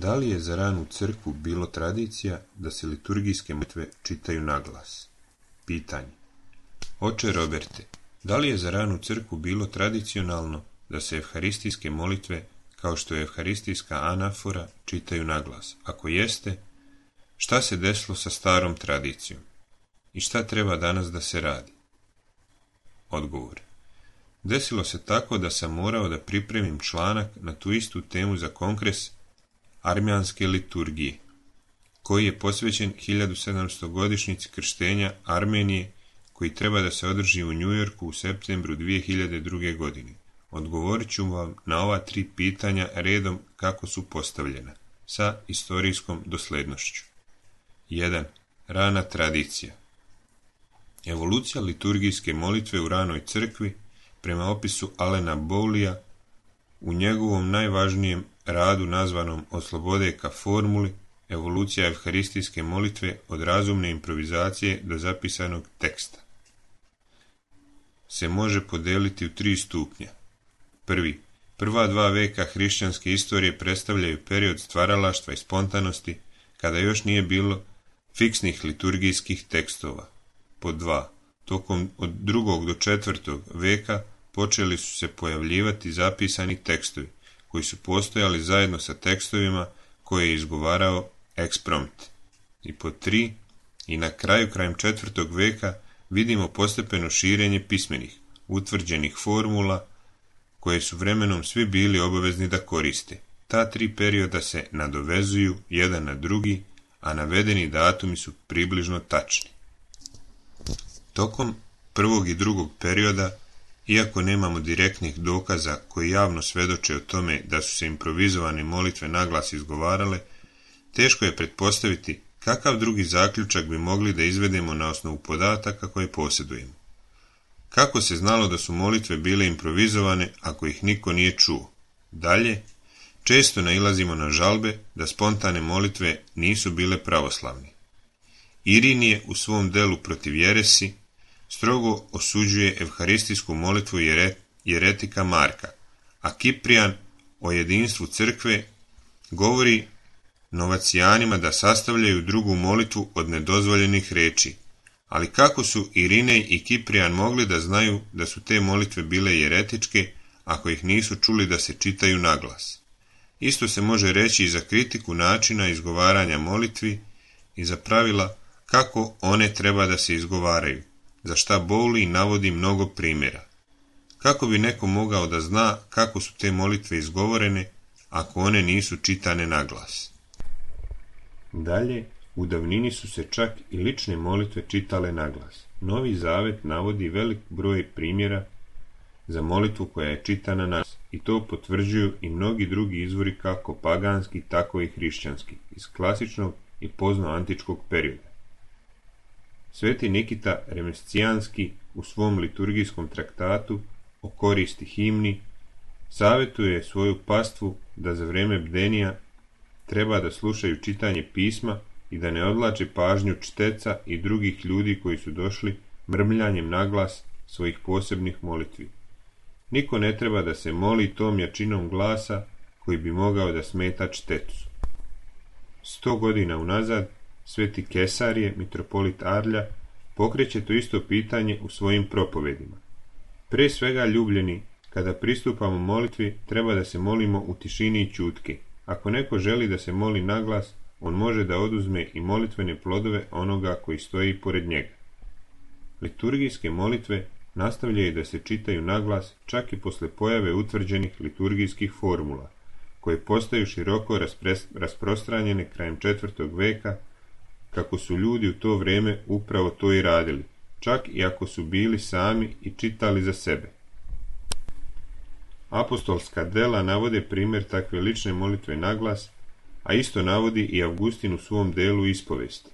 Da li je za ranu crkvu bilo tradicija da se liturgijske molitve čitaju naglas? Pitanje. Oče Roberte, da li je za ranu crkvu bilo tradicionalno da se evharistijske molitve, kao što je evharistijska anafora, čitaju naglas? Ako jeste, šta se desilo sa starom tradicijom? I šta treba danas da se radi? Odgovor. Desilo se tako da sam morao da pripremim članak na tu istu temu za kongres armjanske liturgije, koji je posvećen 1700 godišnjici krštenja Armenije, koji treba da se održi u Njujorku u septembru 2002. godine. Odgovorit ću vam na ova 3 pitanja redom kako su postavljena, sa istorijskom doslednošću. 1. Rana tradicija. Evolucija liturgijske molitve u ranoj crkvi, prema opisu Alena Bowleya, u njegovom najvažnijem radu nazvanom Od slobode ka formuli, evolucija evharistijske molitve od razumne improvizacije do zapisanog teksta, se može podeliti u 3 stupnja. Prva 2 veka hrišćanske istorije predstavljaju period stvaralaštva i spontanosti, kada još nije bilo fiksnih liturgijskih tekstova. Pod 2. Tokom od 2. do 4. veka počeli su se pojavljivati zapisani tekstovi, koji su postojali zajedno sa tekstovima koje je izgovarao eksprompt. I pod 3. I na kraju, krajem 4. veka, vidimo postepeno širenje pismenih, utvrđenih formula, koje su vremenom svi bili obavezni da koriste. Ta 3 perioda se nadovezuju jedan na drugi, a navedeni datumi su približno tačni. Tokom 1. i 2. perioda, iako nemamo direktnih dokaza koji javno svedoče o tome da su se improvizovane molitve naglas izgovarale, teško je pretpostaviti kakav drugi zaključak bi mogli da izvedemo na osnovu podataka koje posjedujemo. Kako se znalo da su molitve bile improvizovane ako ih niko nije čuo? Dalje, često nailazimo na žalbe da spontane molitve nisu bile pravoslavne. Irinije u svom delu protiv jeresi strogo osuđuje evharistijsku molitvu jeretika Marka, a Kiprijan o jedinstvu crkve govori novacijanima da sastavljaju drugu molitvu od nedozvoljenih reči. Ali kako su Irinej i Kiprijan mogli da znaju da su te molitve bile jeretičke ako ih nisu čuli da se čitaju naglas? Isto se može reći i za kritiku načina izgovaranja molitvi i za pravila kako one treba da se izgovaraju, za šta Bowley navodi mnogo primjera. Kako bi neko mogao da zna kako su te molitve izgovorene ako one nisu čitane naglas? Dalje, u davnini su se čak i lične molitve čitale naglas. Novi Zavet navodi velik broj primjera za molitvu koja je čitana naglas, i to potvrđuju i mnogi drugi izvori kako paganski, tako i hrišćanski, iz klasičnog i poznoantičkog perioda. Sveti Nikita Remescijanski u svom liturgijskom traktatu o koristi himni savjetuje svoju pastvu da za vreme bdenija treba da slušaju čitanje pisma i da ne odvlače pažnju čiteca i drugih ljudi koji su došli mrmljanjem naglas svojih posebnih molitvi. Niko ne treba da se moli tom jačinom glasa koji bi mogao da smeta čitecu. 100 godina unazad sveti Kesarije, mitropolit Arlja, pokreće to isto pitanje u svojim propovedima. Pre svega, ljubljeni, kada pristupamo molitvi, treba da se molimo u tišini i ćutke. Ako neko želi da se moli naglas, on može da oduzme i molitvene plodove onoga koji stoji pored njega. Liturgijske molitve nastavljaju da se čitaju naglas čak i posle pojave utvrđenih liturgijskih formula, koje postaju široko rasprostranjene krajem 4. veka, kako su ljudi u to vreme upravo to i radili, čak i ako su bili sami i čitali za sebe. Apostolska dela navode primjer takve lične molitve naglas, a isto navodi i Avgustin u svom delu ispovesti.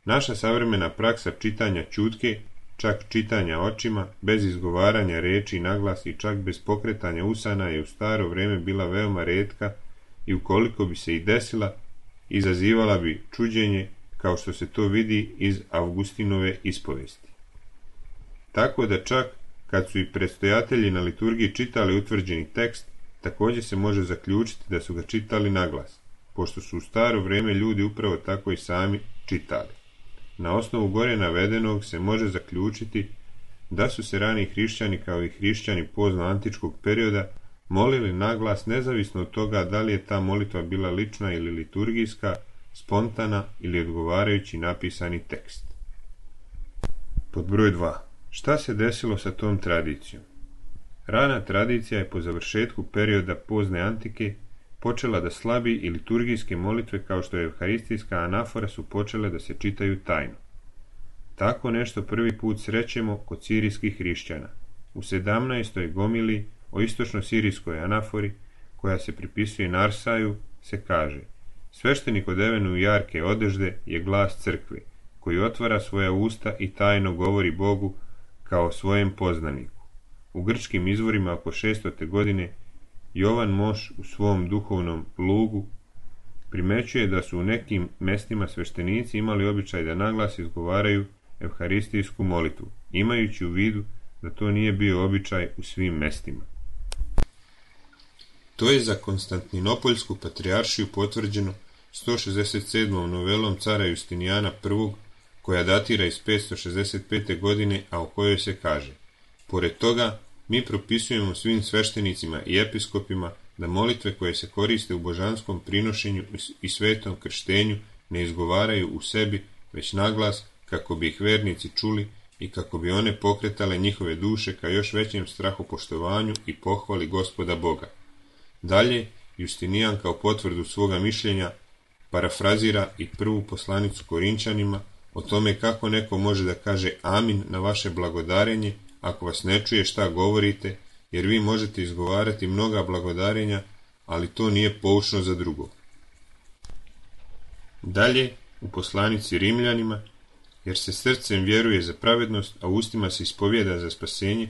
Naša savremena praksa čitanja ćutke, čak čitanja očima, bez izgovaranja reči naglas i čak bez pokretanja usana je u staro vreme bila veoma retka i ukoliko bi se i desila, izazivala bi čuđenje, kao što se to vidi iz Avgustinove ispovesti. Tako da čak kad su i predstojatelji na liturgiji čitali utvrđeni tekst, također se može zaključiti da su ga čitali naglas. pošto su u staro vrijeme ljudi upravo tako i sami čitali. Na osnovu gore navedenog se može zaključiti da su se rani hrišćani kao i hrišćani pozno-antičkog perioda molili naglas nezavisno od toga da li je ta molitva bila lična ili liturgijska, spontana ili odgovarajući napisani tekst. Pod broj 2. Šta se desilo sa tom tradicijom? Rana tradicija je po završetku perioda pozne antike počela da slabi i liturgijske molitve kao što je evharistijska anafora su počele da se čitaju tajno. Tako nešto prvi put srećemo kod sirijskih hrišćana. U 17. gomili o istočno-sirijskoj anafori, koja se pripisuje Narsaju, se kaže: sveštenik odeven u jarke odežde je glas crkve, koji otvara svoja usta i tajno govori Bogu kao svojem poznaniku. U grčkim izvorima oko 600. godine Jovan Moš u svom duhovnom lugu primećuje da su u nekim mestima sveštenici imali običaj da naglas izgovaraju evharistijsku molitvu, imajući u vidu da to nije bio običaj u svim mestima. To je za Konstantinopoljsku patrijaršiju potvrđeno 167. novelom cara Justinijana I, koja datira iz 565. godine, a u kojoj se kaže: pored toga, mi propisujemo svim sveštenicima i episkopima da molitve koje se koriste u božanskom prinošenju i svetom krštenju ne izgovaraju u sebi, već naglas, kako bi ih vernici čuli i kako bi one pokretale njihove duše ka još većem strahopoštovanju i pohvali Gospoda Boga. Dalje, Justinijan kao potvrdu svoga mišljenja parafrazira i prvu poslanicu Korinčanima o tome kako neko može da kaže amin na vaše blagodarenje ako vas ne čuje šta govorite, jer vi možete izgovarati mnoga blagodarenja, ali to nije poučno za drugog. Dalje, u poslanici Rimljanima, jer se srcem vjeruje za pravednost, a ustima se ispovijeda za spasenje,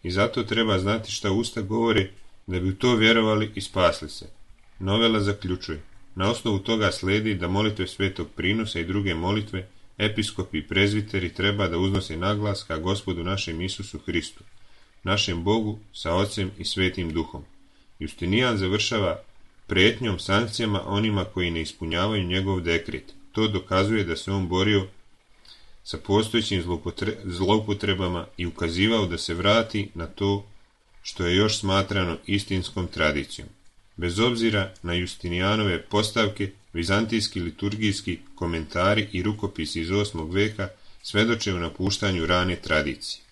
i zato treba znati šta usta govore, da bi u to vjerovali i spasli se. Novela zaključuje: na osnovu toga sledi da molitve svetog prinosa i druge molitve episkopi i prezviteri treba da uznose naglas ka Gospodu našem Isusu Hristu, našem Bogu sa Ocem i Svetim Duhom. Justinijan završava prijetnjom, sankcijama onima koji ne ispunjavaju njegov dekret. To dokazuje da se on borio sa postojećim zloupotrebama i ukazivao da se vrati na to što je još smatrano istinskom tradicijom. Bez obzira na Justinijanove postavke, vizantijski liturgijski komentari i rukopisi iz 8. veka svedoče o napuštanju rane tradicije.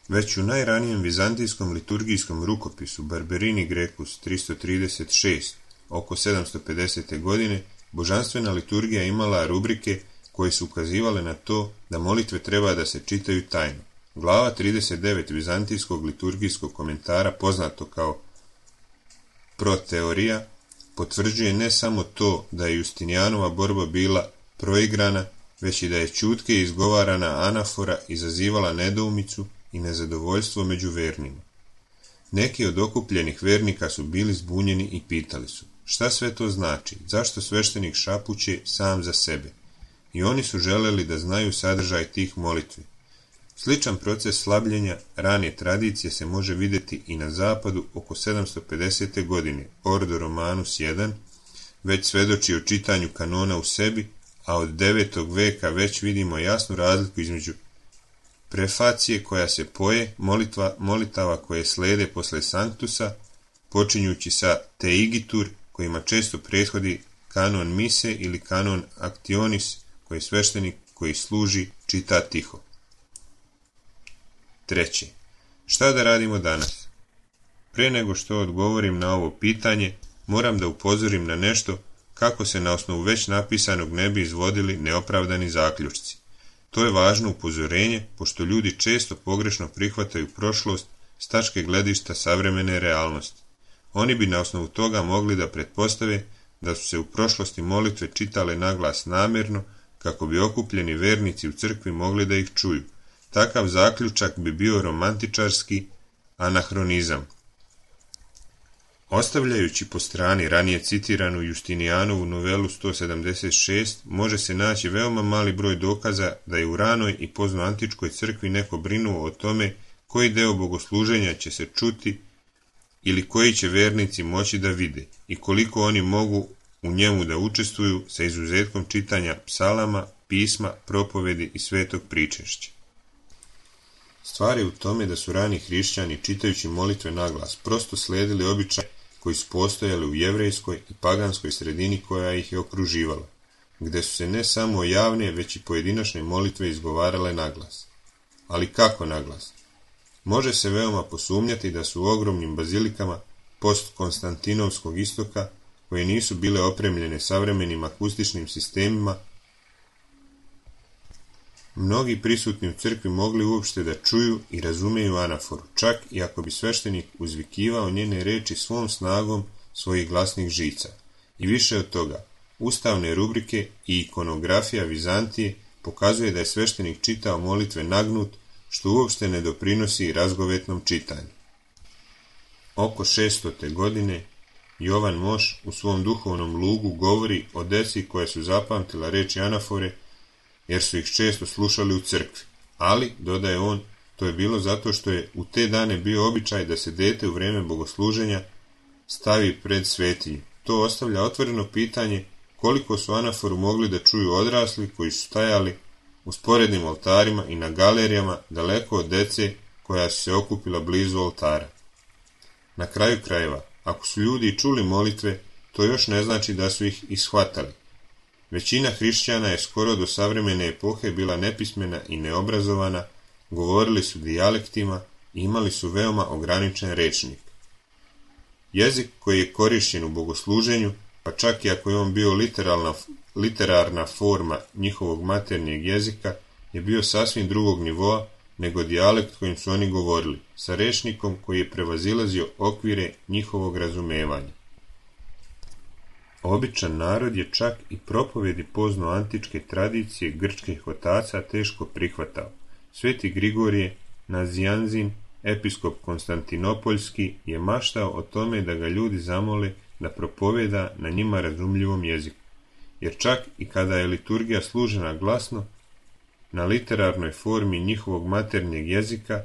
Već u najranijem vizantijskom liturgijskom rukopisu Barberini Grecus 336, oko 750. godine, božanstvena liturgija imala rubrike koje su ukazivale na to da molitve treba da se čitaju tajno. Glava 39 vizantijskog liturgijskog komentara, poznato kao Proteorija, potvrđuje ne samo to da je Justinijanova borba bila proigrana, već i da je ćutke izgovarana anafora izazivala nedoumicu i nezadovoljstvo među vernima. Neki od okupljenih vernika su bili zbunjeni i pitali su: šta sve to znači, zašto sveštenik šapuće sam za sebe? I oni su želeli da znaju sadržaj tih molitvi. Sličan proces slabljenja rane tradicije se može vidjeti i na zapadu oko 750. godine. Ordo Romanus I već svedoči o čitanju kanona u sebi, a od 9. veka već vidimo jasnu razliku između prefacije koja se poje, molitava koje slede posle sanctusa, počinjući sa te igitur, kojima često prethodi kanon mise ili kanon actionis, koji sveštenik koji služi čita tiho. Treće, šta da radimo danas? Pre nego što odgovorim na ovo pitanje, moram da upozorim na nešto kako se na osnovu već napisanog ne bi izvodili neopravdani zaključci. To je važno upozorenje, pošto ljudi često pogrešno prihvataju prošlost s tačke gledišta savremene realnosti. Oni bi na osnovu toga mogli da pretpostave da su se u prošlosti molitve čitale naglas namjerno, kako bi okupljeni vernici u crkvi mogli da ih čuju. Takav zaključak bi bio romantičarski anahronizam. Ostavljajući po strani ranije citiranu Justinijanovu novelu 176, može se naći veoma mali broj dokaza da je u ranoj i poznoantičkoj crkvi neko brinuo o tome koji deo bogosluženja će se čuti ili koji će vernici moći da vide i koliko oni mogu u njemu da učestvuju sa izuzetkom čitanja psalama, pisma, propovedi i svetog pričešća. Stvar je u tome da su rani hrišćani čitajući molitve naglas prosto sledili običaj koji su postojali u jevrejskoj i paganskoj sredini koja ih je okruživala, gde su se ne samo javne, već i pojedinačne molitve izgovarale naglas. Ali kako naglas? Može se veoma posumnjati da su u ogromnim bazilikama post-konstantinovskog istoka, koje nisu bile opremljene savremenim akustičnim sistemima, mnogi prisutni u crkvi mogli uopšte da čuju i razumeju anaforu, čak i ako bi sveštenik uzvikivao njene reči svom snagom svojih glasnih žica. I više od toga, ustavne rubrike i ikonografija Vizantije pokazuje da je sveštenik čitao molitve nagnut, što uopšte ne doprinosi razgovetnom čitanju. Oko 600. godine Jovan Moš u svom duhovnom lugu govori o deci koje su zapamtila reči anafore, jer su ih često slušali u crkvi. Ali, dodaje on, to je bilo zato što je u te dane bio običaj da se dete u vreme bogosluženja stavi pred svetinju. To ostavlja otvoreno pitanje koliko su anaforu mogli da čuju odrasli koji su stajali u sporednim oltarima i na galerijama daleko od dece koja su se okupila blizu oltara. Na kraju krajeva, ako su ljudi čuli molitve, to još ne znači da su ih ishvatali. Većina hrišćana je skoro do savremene epohe bila nepismena i neobrazovana, govorili su dijalektima i imali su veoma ograničen rečnik. Jezik koji je korišćen u bogosluženju, pa čak i ako je on bio literarna forma njihovog maternjeg jezika, je bio sasvim drugog nivoa nego dijalekt kojim su oni govorili, sa rečnikom koji je prevazilazio okvire njihovog razumevanja. Običan narod je čak i propovedi pozno-antičke tradicije grčkih otaca teško prihvatao. Sveti Grigorije Nazianzin, episkop Konstantinopoljski, je maštao o tome da ga ljudi zamole da propoveda na njima razumljivom jeziku, jer čak i kada je liturgija služena glasno, na literarnoj formi njihovog maternjeg jezika,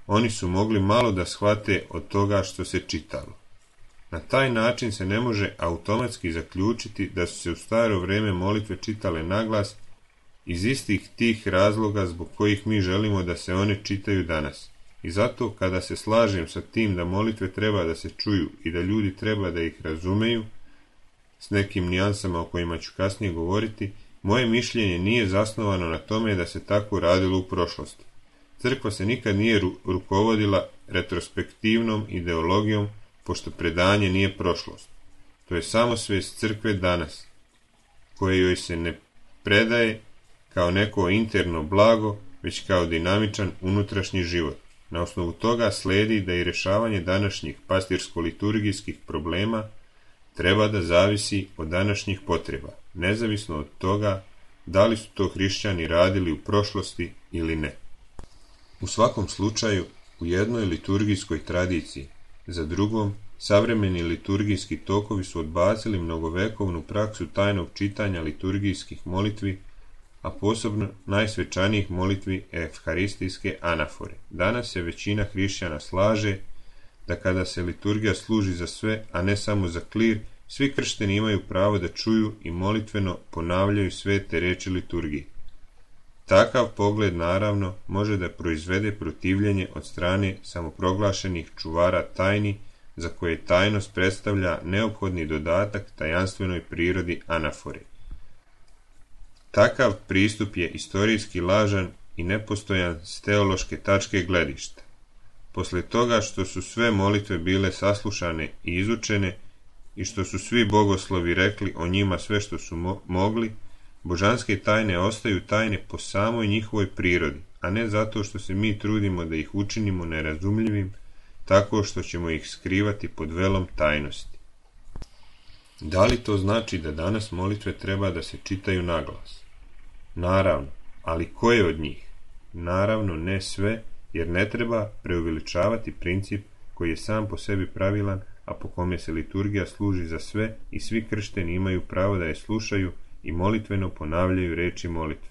oni su mogli malo da shvate od toga što se čitalo. Na taj način se ne može automatski zaključiti da su se u staro vreme molitve čitale naglas iz istih tih razloga zbog kojih mi želimo da se one čitaju danas. I zato kada se slažem sa tim da molitve treba da se čuju i da ljudi treba da ih razumeju, s nekim nijansama o kojima ću kasnije govoriti, moje mišljenje nije zasnovano na tome da se tako radilo u prošlosti. Crkva se nikad nije rukovodila retrospektivnom ideologijom, pošto predanje nije prošlost. To je samo svest crkve danas, koje joj se ne predaje kao neko interno blago, već kao dinamičan unutrašnji život. Na osnovu toga sledi da i rješavanje današnjih pastirsko-liturgijskih problema treba da zavisi od današnjih potreba, nezavisno od toga da li su to hrišćani radili u prošlosti ili ne. U svakom slučaju, u jednoj liturgijskoj tradiciji, za drugom, savremeni liturgijski tokovi su odbacili mnogovekovnu praksu tajnog čitanja liturgijskih molitvi, a posebno najsvečanijih molitvi evharistijske anafore. Danas se većina hrišćana slaže da kada se liturgija služi za sve, a ne samo za klir, svi kršteni imaju pravo da čuju i molitveno ponavljaju svete reči liturgije. Takav pogled, naravno, može da proizvede protivljenje od strane samoproglašenih čuvara tajni, za koje tajnost predstavlja neophodni dodatak tajanstvenoj prirodi anafore. Takav pristup je istorijski lažan i nepostojan s teološke tačke gledišta. Posle toga što su sve molitve bile saslušane i izučene i što su svi bogoslovi rekli o njima sve što su mogli, božanske tajne ostaju tajne po samoj njihovoj prirodi, a ne zato što se mi trudimo da ih učinimo nerazumljivim, tako što ćemo ih skrivati pod velom tajnosti. Da li to znači da danas molitve treba da se čitaju naglas? Naravno, ali koje od njih? Naravno ne sve, jer ne treba preuveličavati princip koji je sam po sebi pravilan, a po kome se liturgija služi za sve i svi kršteni imaju pravo da je slušaju i molitveno ponavljaju reči molitve.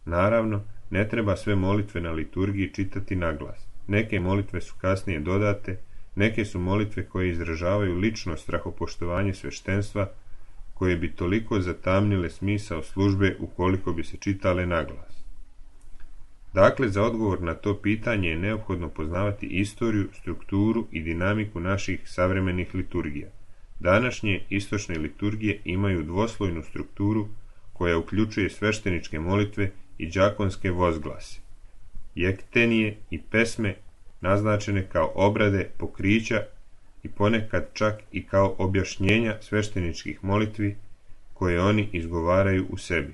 Naravno, ne treba sve molitve na liturgiji čitati naglas. Neke molitve su kasnije dodate, Neke su molitve koje izražavaju lično strahopoštovanje sveštenstva, koje bi toliko zatamnile smisao službe ukoliko bi se čitale naglas. Dakle, za odgovor na to pitanje je neophodno poznavati istoriju, strukturu i dinamiku naših savremenih liturgija. Današnje istočne liturgije imaju dvoslojnu strukturu koja uključuje svešteničke molitve i đakonske vozglase, jektenije i pesme naznačene kao obrade, pokrića i ponekad čak i kao objašnjenja svešteničkih molitvi koje oni izgovaraju u sebi.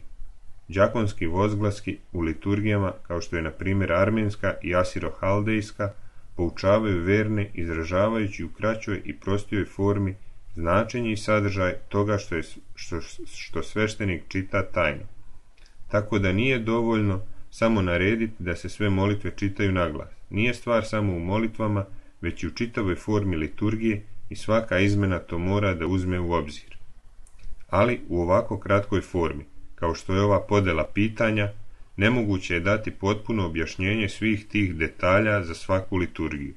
Đakonski vozglaski u liturgijama, kao što je na primjer armenska i asirohaldejska, poučavaju verne izražavajući u kraćoj i prostijoj formi značenje i sadržaj toga što sveštenik čita tajno. Tako da nije dovoljno samo narediti da se sve molitve čitaju naglas. Nije stvar samo u molitvama, već i u čitavoj formi liturgije i svaka izmena to mora da uzme u obzir. Ali u ovako kratkoj formi, kao što je ova podela pitanja, nemoguće je dati potpuno objašnjenje svih tih detalja za svaku liturgiju.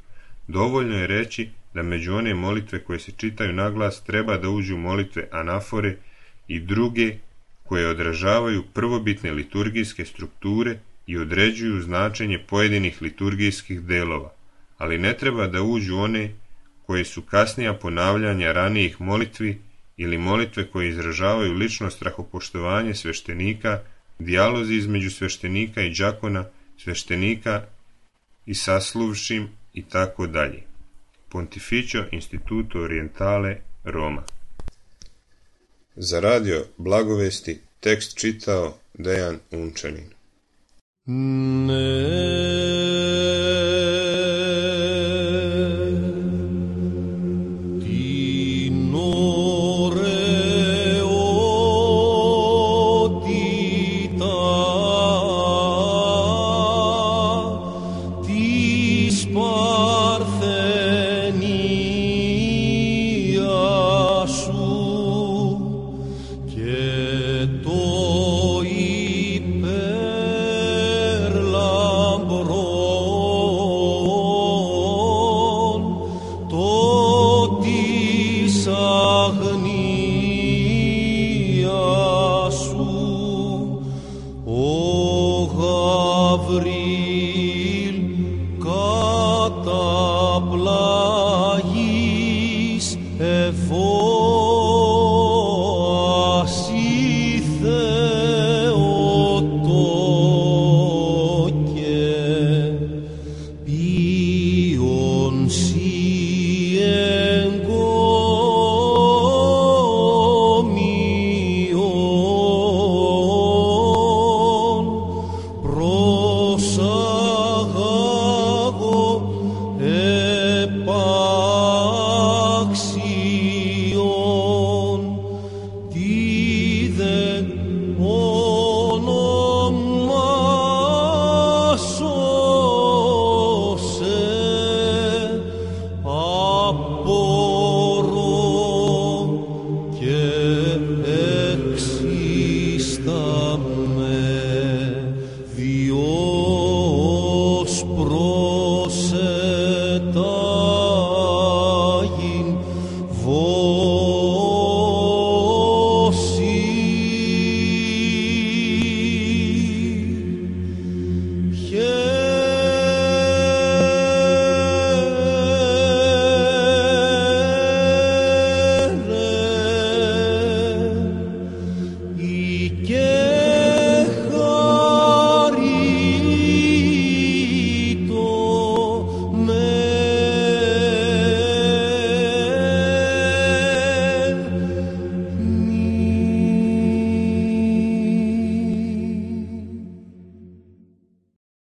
Dovoljno je reći da među one molitve koje se čitaju naglas treba da uđu molitve anafore i druge koje odražavaju prvobitne liturgijske strukture i određuju značenje pojedinih liturgijskih delova, ali ne treba da uđu one koje su kasnija ponavljanja ranijih molitvi ili molitve koje izražavaju lično strahopoštovanje sveštenika, dijalozi između sveštenika i đakona, sveštenika i sasluvšim i tako dalje. Pontificio Instituto Orientale, Roma. Za radio Blagovesti tekst čitao Dejan Unčanin. Gavril, Katabla.